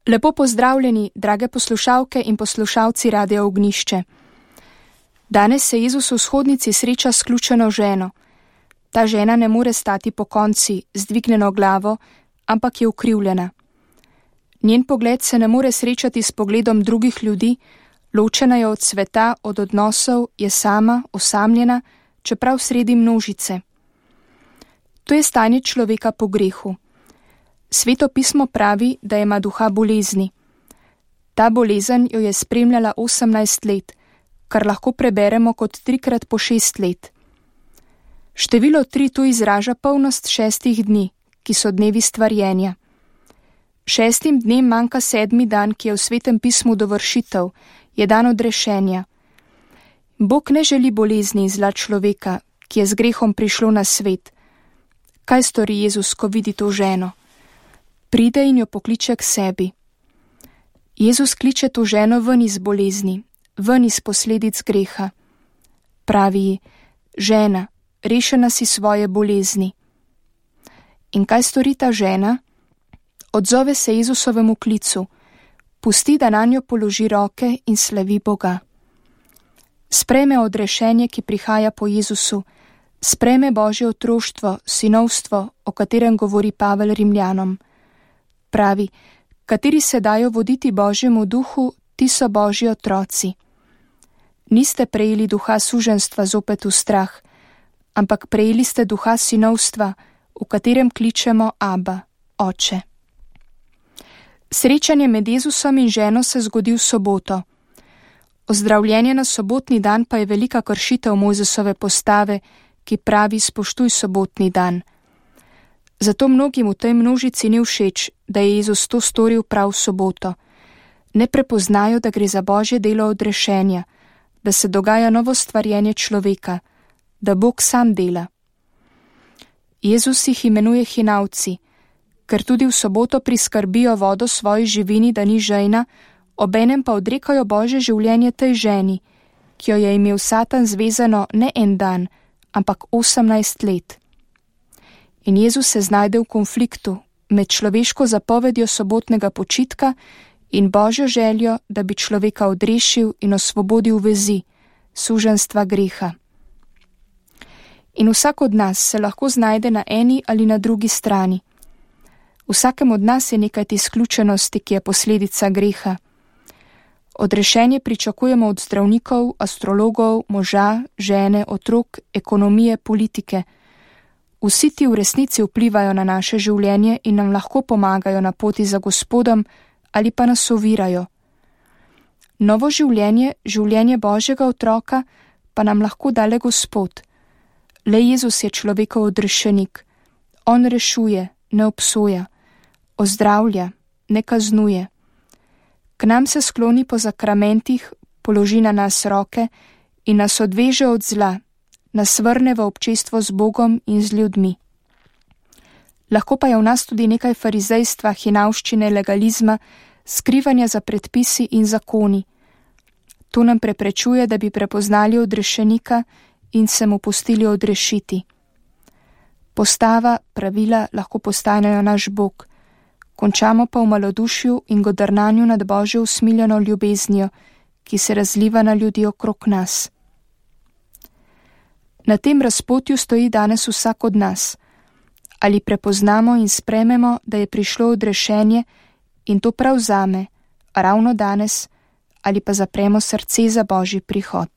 Lepo pozdravljeni, drage poslušalke in poslušalci Radia Ognjišče. Danes se Jezus v shodnici sreča s ključeno ženo. Ta žena ne more stati pokonci, z dvignjeno glavo, ampak je ukrivljena. Njen pogled se ne more srečati s pogledom drugih ljudi, ločena je od sveta, od odnosov, je sama, osamljena, čeprav sredi množice. To je stanje človeka po grehu. Sveto pismo pravi, da ima duha bolezni. Ta bolezen jo je spremljala 18 let, kar lahko preberemo kot 3 po 6 let. Število 3 tu izraža polnost 6 dni, ki so dnevi stvarjenja. 6 dnem manjka 7. dan, ki je v svetem pismu dovršitev, je dan odrešenja. Bog ne želi bolezni in zla človeka, ki je z grehom prišlo na svet. Kaj stori Jezus, ko vidi to ženo? Pride in jo pokliče k sebi. Jezus kliče to ženo ven iz bolezni, ven iz posledic greha. Pravi ji: žena, rešena si svoje bolezni. In kaj stori ta žena? Odzove se Jezusovemu klicu, pusti, da nanjo položi roke in slavi Boga. Sprejme odrešenje, ki prihaja po Jezusu, sprejme Božje otroštvo, sinovstvo, o katerem govori Pavel Rimljanom. Pravi: kateri se dajo voditi Božjemu duhu, ti so Božji otroci. Niste prejeli duha suženjstva zopet v strah, ampak prejeli ste duha sinovstva, v katerem kličemo Aba, Oče. Srečanje med Jezusom in ženo se zgodi v soboto. Ozdravljenje na sobotni dan pa je velika kršitev Mojzesove postave, ki pravi: spoštuj sobotni dan. Zato mnogim v tej množici ni všeč, da je Jezus to storil prav v soboto. Ne prepoznajo, da gre za Božje delo odrešenja, da se dogaja novo stvarjenje človeka, da Bog sam dela. Jezus jih imenuje hinavci, ker tudi v soboto priskrbijo vodo svoji živini, da ni žejna, obenem pa odrekajo Božje življenje tej ženi, ki jo je imel Satan zvezano ne en dan, ampak 18 let. In Jezus se znajde v konfliktu med človeško zapovedjo sobotnega počitka in Božjo željo, da bi človeka odrešil in osvobodil vezi, suženjstva greha. In vsak od nas se lahko znajde na eni ali na drugi strani. Vsakem od nas je nekaj te izključenosti, ki je posledica greha. Odrešenje pričakujemo od zdravnikov, astrologov, moža, žene, otrok, ekonomije, politike. Vsi ti v resnici vplivajo na naše življenje in nam lahko pomagajo na poti za Gospodom ali pa nas ovirajo. Novo življenje, življenje Božjega otroka, pa nam lahko da le Gospod. Le Jezus je človekov odrešenik. On rešuje, ne obsoja, ozdravlja, ne kaznuje. K nam se skloni po zakramentih, položi na nas roke in nas odveže od zla, nas vrne v občestvo z Bogom in z ljudmi. Lahko pa je v nas tudi nekaj farizejstva, hinavščine, legalizma, skrivanja za predpisi in zakoni. To nam preprečuje, da bi prepoznali odrešenika in se mu pustili odrešiti. Postava, pravila lahko postanejo naš Bog, končamo pa v malodušju in godrnanju nad Božjo usmiljeno ljubeznijo, ki se razliva na ljudi okrog nas. Na tem razpotju stoji danes vsak od nas. Ali prepoznamo in sprejmemo, da je prišlo odrešenje in to prav zame, ravno danes, ali pa zapremo srce za Božji prihod.